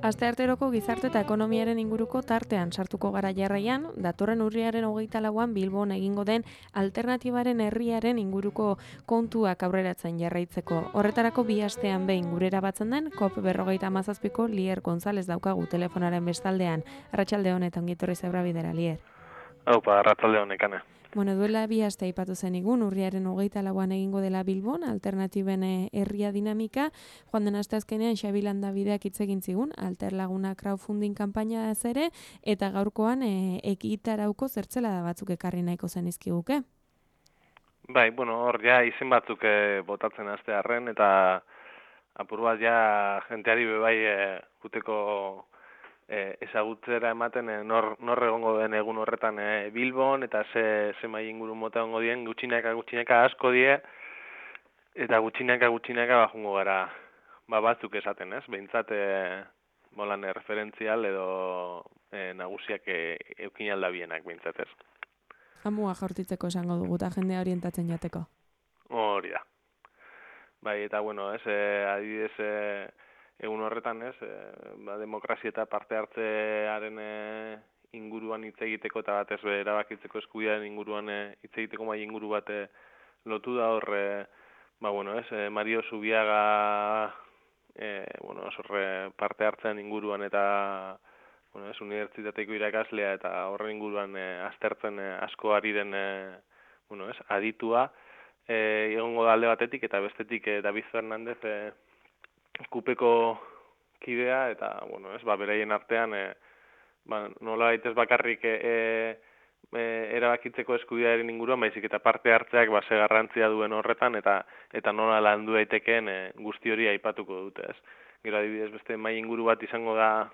Astearteroko gizarte eta ekonomiaren inguruko tartean sartuko gara jarraian, datorren urriaren 24an Bilbon egingo den alternatibaren herriaren inguruko kontuak aurreratzen jarraitzeko. Horretarako bi astean behin gurera batzen den COP57ko Lier González daukagu telefonaren bestaldean. Arratsalde honetan ongitorri zebrabidera, Lier. Aupa, arratsalde honekane. Bueno, duela bi aste aipatu zenigun, urriaren 24an egingo dela Bilbon, alternatiben herria dinamika. Joan den asteazkenean Xabi Landabideak hitz egin zigun, Alterlaguna crowdfunding kanpaina ere, eta gaurkoan ekitarauko zertzelada batzuk ekarri nahiko zenizkiguke. Bai, bueno, hor ja izen batzuk botatzen astearren, eta apur bat ja jenteari bebai guteko ezagutzera ematen nor egongo den egun horretan Bilbon, eta ze mai inguru mota egongo dien, gutxinaka asko die, eta gutxinaka jungo gara batzuk esaten, ez? Behintzat bolan referentzial edo nagusiak eukin aldabienak behintzat, ez? Amua jaurtitzeko esango dugu eta jendea orientatzen jateko. Hori da. Bai, eta bueno, ez, adibidez, egun horretan, ez, demokrazia eta parte hartzearen inguruan hitz egiteko eta batez erabakitzeko eskubidearen inguruan hitz egiteko mai inguru bat lotu da hor, bueno, ez, Mario Zubiaga, bueno, parte hartzean inguruan eta bueno, ez, unibertsitateko irakaslea eta horren inguruan aztertzen asko ari den, bueno, ez, aditua, egongo da alde batetik eta bestetik David Fernández kupeko kidea eta, bueno, ez, beraien artean, nola baitez bakarrik erabakitzeko eskubidearen inguruan, baizik eta parte hartzeak ze garrantzia duen horretan eta nola landu daitekeen guzti hori aipatuko dute, ez. Gero adibidez beste mai inguru bat izango da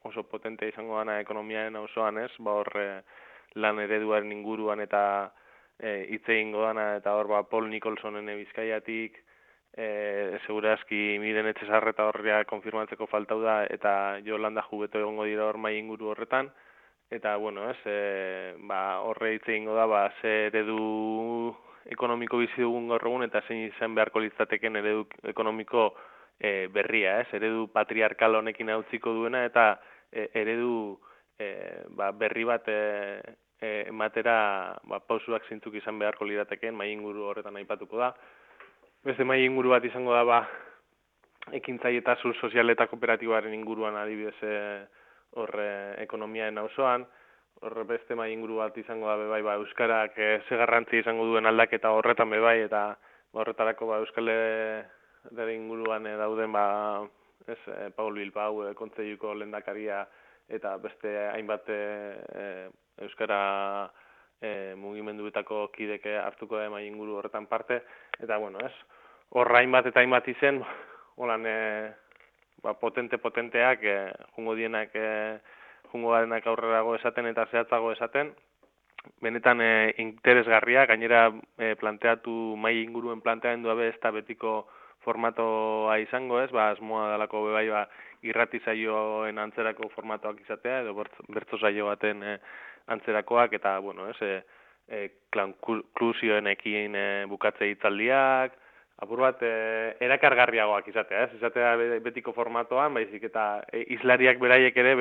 oso potente izango dana ekonomiaren auzoan, ez, hor lan ereduaren inguruan eta hitz egingo dana, eta hor Paul Nicholsonen Bizkaiatik, segurazki Miren Etxezarreta horria konfirmatzeko faltau da, eta Jolanda Jubeto egongo dira hor mai inguru horretan, eta, bueno, ez, horre hitz egingo da, ze eredu ekonomiko bizi dugun gaur egun, eta zein izan beharko litzateken eredu ekonomiko berria, ez, eredu patriarkal honekin hautziko duena, eta eredu berri bat ematera pausuak zeintzuk izan beharko lirateken mai inguru horretan aipatuko da. Beste mai inguru bat izango da ekintzaile eta sozial eta kooperatiboaren inguruan adibidez ekonomiaren auzoan. Horre beste mai inguru bat izango da bebai euskarak ze garrantzi izango duen aldaketa horretan bebai, eta horretarako Euskal Herriaren inguruan dauden Paul Bilbao kontseiluko lehendakaria eta beste hainbat euskara mugimenduetako kideke hartuko da mai inguru horretan parte, eta, bueno, ez, horra hainbat eta hainbat izen, holan, potenteak, jungo dienak, jungo garenak aurrerago esaten eta zehatzago esaten, benetan interesgarria, gainera planteatu mai inguruen planteamendua ez da betiko formatoa izango, ez, asmoa dalako bebai irrati saioen antzerako formatoak izatea, edo bertso saio baten antzerakoak, eta, bueno, ez, konklusioenekin bukatze hitzaldiak, apur bat erakargarriagoak izatea, ez? Izatea betiko formatoan, baizik eta islariak beraiek ere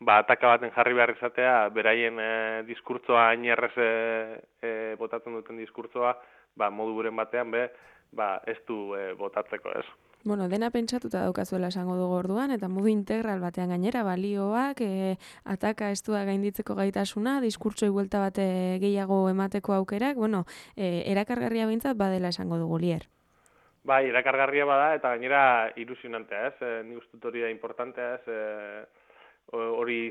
ataka baten jarri behar izatea, beraien diskurtsoa ainerrez botatzen duten diskurtsoa, modu buren batean ez du botatzeko, ez? Bueno, dena pentsatuta daukazuela esango dugu orduan, eta modu integral batean gainera, balioak, ataka estua gainditzeko gaitasuna, diskurtsoi buelta bate gehiago emateko aukerak, bueno, erakargarria behintzat badela esango dugu, Lier. Bai, erakargarria bada, eta gainera ilusionantea, ez? Ni ustut hori da importantea, ez? Hori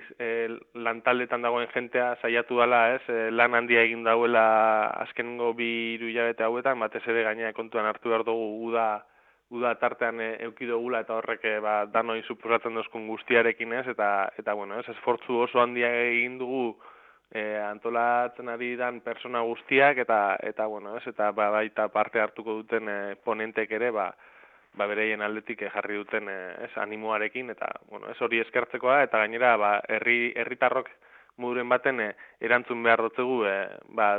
lantaldetan dagoen jentea saiatu dela, ez? Lan handia egin dauela azkenengo 2-3 hilabete hauetan, batez ere gainera kontuan hartu behar dugu uda tartean eduki dugula, eta horrek danoi suposatzen dozkun guztiarekin, ez? Eta bueno, ez, esfortzu oso handia egin dugu antolatzen ari dan persona guztiak eta bueno, ez, eta baita parte hartuko duten ponentek ere, bereien aldetik jarri duten animoarekin, eta bueno, ez hori eskertzekoa, eta gainera herritarrok moduren baten erantzun behar dutzegu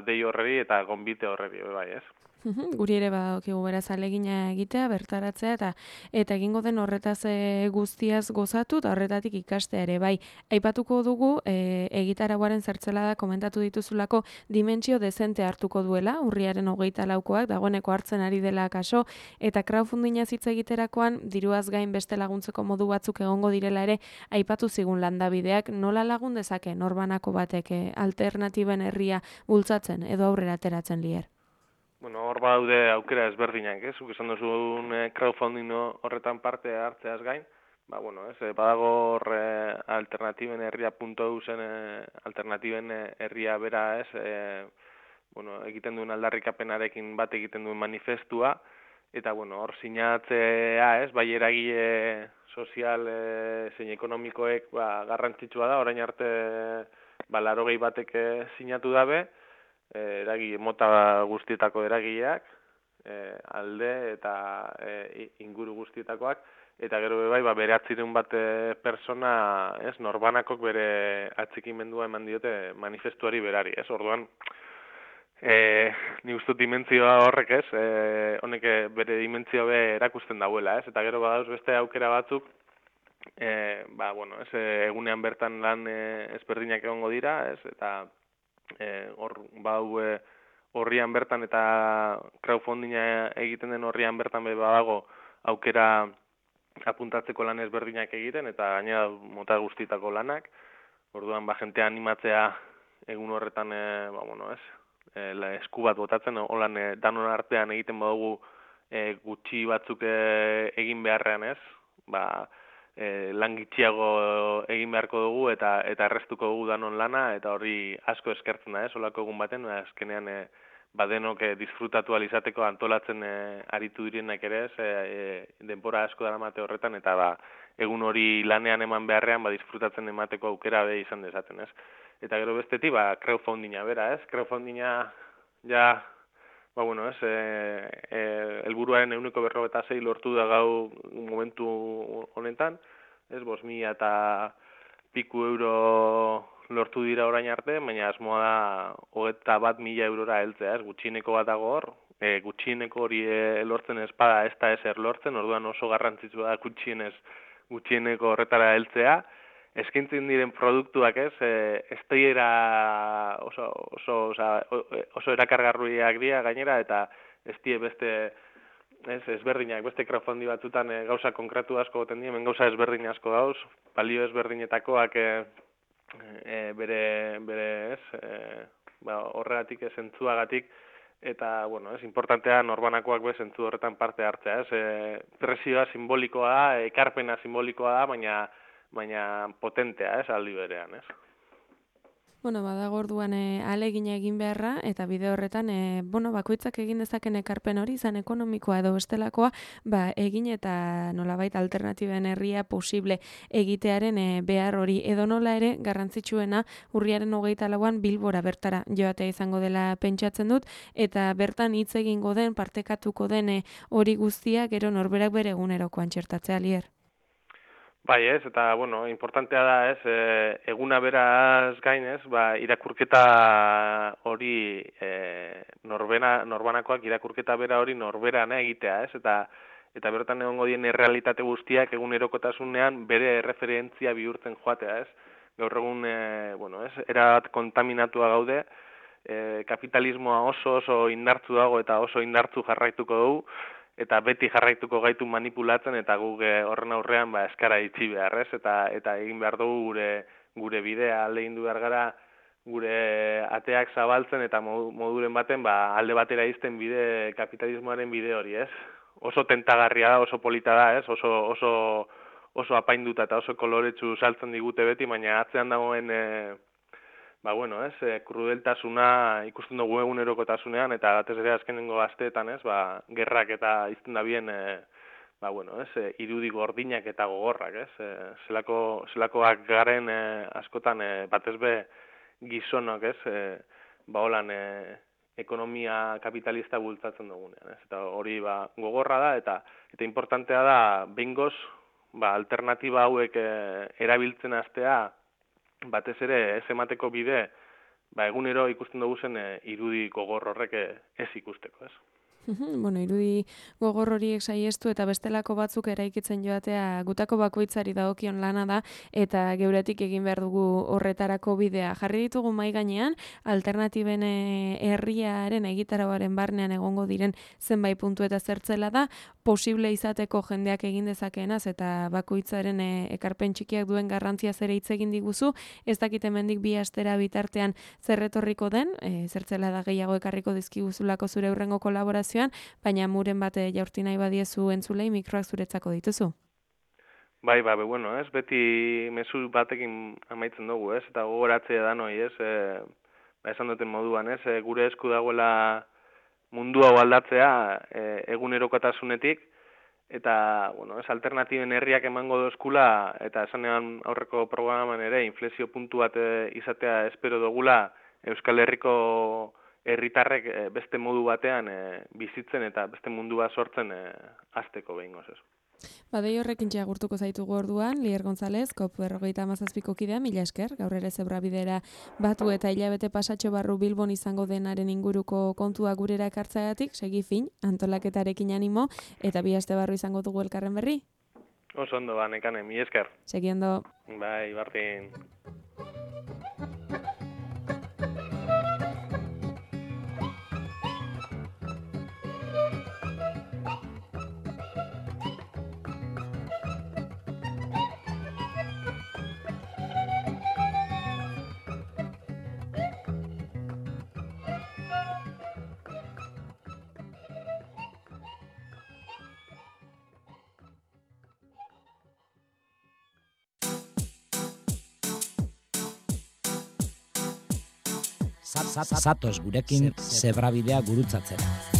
dei horreri eta gonbite horreri, bai, ez? Guri ere badakigu beraz alegina egitea, bertaratzea eta egingo den horretaz guztiaz gozatu eta horretatik ikastea ere bai. Aipatuko dugu egitarauaren zertzelada komentatu dituzulako dimentsio dezente hartuko duela, urriaren 24koak dagoeneko hartzen ari dela kaso eta crowdfundinga hitz egiterakoan diruaz gain beste laguntzeko modu batzuk egongo direla ere aipatu zigun landabideak nola lagun dezake norbanako batek alternatiben herria bultzatzen edo aurrera ateratzen lier. Bueno, hor badaude aukera ezberdinak, ez? Zuk esan duzun crowdfunding horretan parte hartzeaz gain, bueno, ez, badago hor alternatiben herria.eu zen alternatiben herria bera, ez? Bueno, egiten duen aldarrikapenarekin bat egiten duen manifestua, eta bueno, hor sinatzea, ez? Bai eragile sozial zein ekonomikoek garrantzitsua da, orain arte 80 batek sinatu dabe, eragile mota guztietako eragileak, alde eta inguru guztietakoak, eta gero bai, beratzireun bat persona, ez, norbanakok bere atxikimendua eman diote manifestuari berari, ez, orduan, ni ustut dimentzioa horrek, ez, honek bere dimentzio erakusten dauela, ez, eta gero badauz beste aukera batzuk, bueno, ez, egunean bertan lan ezberdinak egongo dira, ez, eta hor horrian bertan eta crowdfundinga egiten den horrian bertan badago aukera apuntatzeko lan ezberdinak egiten eta gainera mota guztietako lanak. Orduan jentea animatzea egun horretan bueno, ez, esku bat botatzen holan danon artean egiten badugu gutxi batzuk egin beharrean, ez? Lan gitxiago egin beharko dugu eta errestuko dugu danon lana eta hori asko eskertzen da, olako egun baten, azkenean denok disfrutatu alizateko antolatzen aritu direnak ere, denbora asko daramate horretan eta egun hori lanean eman beharrean disfrutatzen emateko aukera izan dezaten, ez? Eta gero bestetik, crowdfundinga bera, ez? Crowdfundinga ja bueno, ez, helburuaren 156 lortu da gau momentu honetan, ez, 5.000 eta piku euro lortu dira orain arte, baina asmoa da 21.000 eurora heltzea, ez, gutxieneko bat dago hor, gutxieneko hori lortzen ez bada ez da ezer lortzen, orduan oso garrantzitsua da gutxieneko horretara heltzea, eskintzen diren produktuak, ez, ez dira oso erakargarriak dira gainera, eta ez die beste ezberdinak, beste crowdfunding batzutan gauza konkretu asko goten dien, gauza ezberdin asko gauz, balio ezberdinetakoak bere horregatik, zentzuagatik, eta, bueno, importantea norbanakoak zentzu horretan parte hartzea, presioa simbolikoa da, ekarpena simbolikoa da, baina potentea, aldi berean, ez? Bueno, badago orduan ahalegina egin beharra eta bide horretan bakoitzak egin dezaken ekarpen hori izan ekonomikoa edo bestelakoa, egin eta nolabait alternatiben herria posible egitearen behar hori edo nola ere garrantzitsuena urriaren 24an Bilbora bertara joatea izango dela pentsatzen dut eta bertan hitz egingo den partekatuko den hori guztia gero norberak bere egunerokoan txertatzea lier. Bai, ez, eta, bueno, importantea da, ez, eguna beraz gain, ez, irakurketa hori, norbanakoak irakurketa bera hori norberana egitea, ez, eta bertan egongo dien errealitate guztiak egunerokotasunean bere referentzia bihurtzen joatea, ez. Gaur egun, bueno, ez, erabat kontaminatua gaude, kapitalismoa oso indartzu dago eta oso indartzu jarraituko dugu, eta beti jarraituko gaitu manipulatzen eta guk horren aurrean eskara itxi behar, ez? Eta egin behar dugu gure bidea, alde indu behar gara gure ateak zabaltzen eta moduren baten alde batera izten bide, kapitalismoaren bide hori, ez? Oso tentagarria da, oso polita da, ez? Oso apainduta eta oso koloretsu saltzen digute beti, baina atzean dagoen bueno, ez, krudeltasuna ikusten dugu egunerokotasunean eta batez ere azkenengo asteetan, ez, gerrak eta izten da bien, bueno, ez, irudi gordinak eta gogorrak, ez, zelakoak garen askotan batez be gizonok, ez, holan ekonomia kapitalista bultzatzen dugunean, ez? Eta hori gogorra da eta importantea da behingoz alternatiba hauek erabiltzen hastea batez ere ez emateko bide egunero ikusten dugu zen irudi gogor horrek ez ikusteko, ez? Bueno, irudi gogor horiek saiestu eta bestelako batzuk eraikitzen joatea gutako bakoitzari dagokion lana da eta geuretik egin behar dugu horretarako bidea. Jarri ditugu mahai gainean alternatiben herriaren egitarauaren barnean egongo diren zenbait puntu eta zertzela da posible izateko jendeak egin dezakeenaz eta bakoitzaren ekarpen txikiak duen garrantzia ere hitz egin diguzu. Ez dakit hemendik 2 astera bitartean zer etorriko den, zertzela da gehiago ekarriko dizkiguzulako zure hurrengo kolaborazio, baina muren bate jaurti nahi badiezu entzulei mikroak zuretzako dituzu. Bai, bueno, ez, beti mezu batekin amaitzen dugu, ez, eta gogoratzea da noi, ez, esan duten moduan, ez, gure esku dagoela mundu hau aldatzea egunerokotasunetik, eta, bueno, ez, alternatiben herriak emango dozkula, eta esanean aurreko programan ere, inflexio puntu bat izatea espero dugula Euskal Herriko herritarrek beste modu batean bizitzen eta beste mundu bat sortzen hasteko behingoz ez. Badei horrekin agurtuko zaitugu orduan, Lier González, COP57ko kidea, mila esker, gaur ere Zebrabidera batu eta hilabete pasatxo barru Bilbon izango denaren inguruko kontua gurera ekartzeagatik, segi fin, antolaketarekin animo, eta 2 aste barru izango dugu elkarren berri? Oso ondo, nekane, mila esker. Segi ondo. Bai, bardin. Zatoz gurekin Zebrabidea gurutzatzera.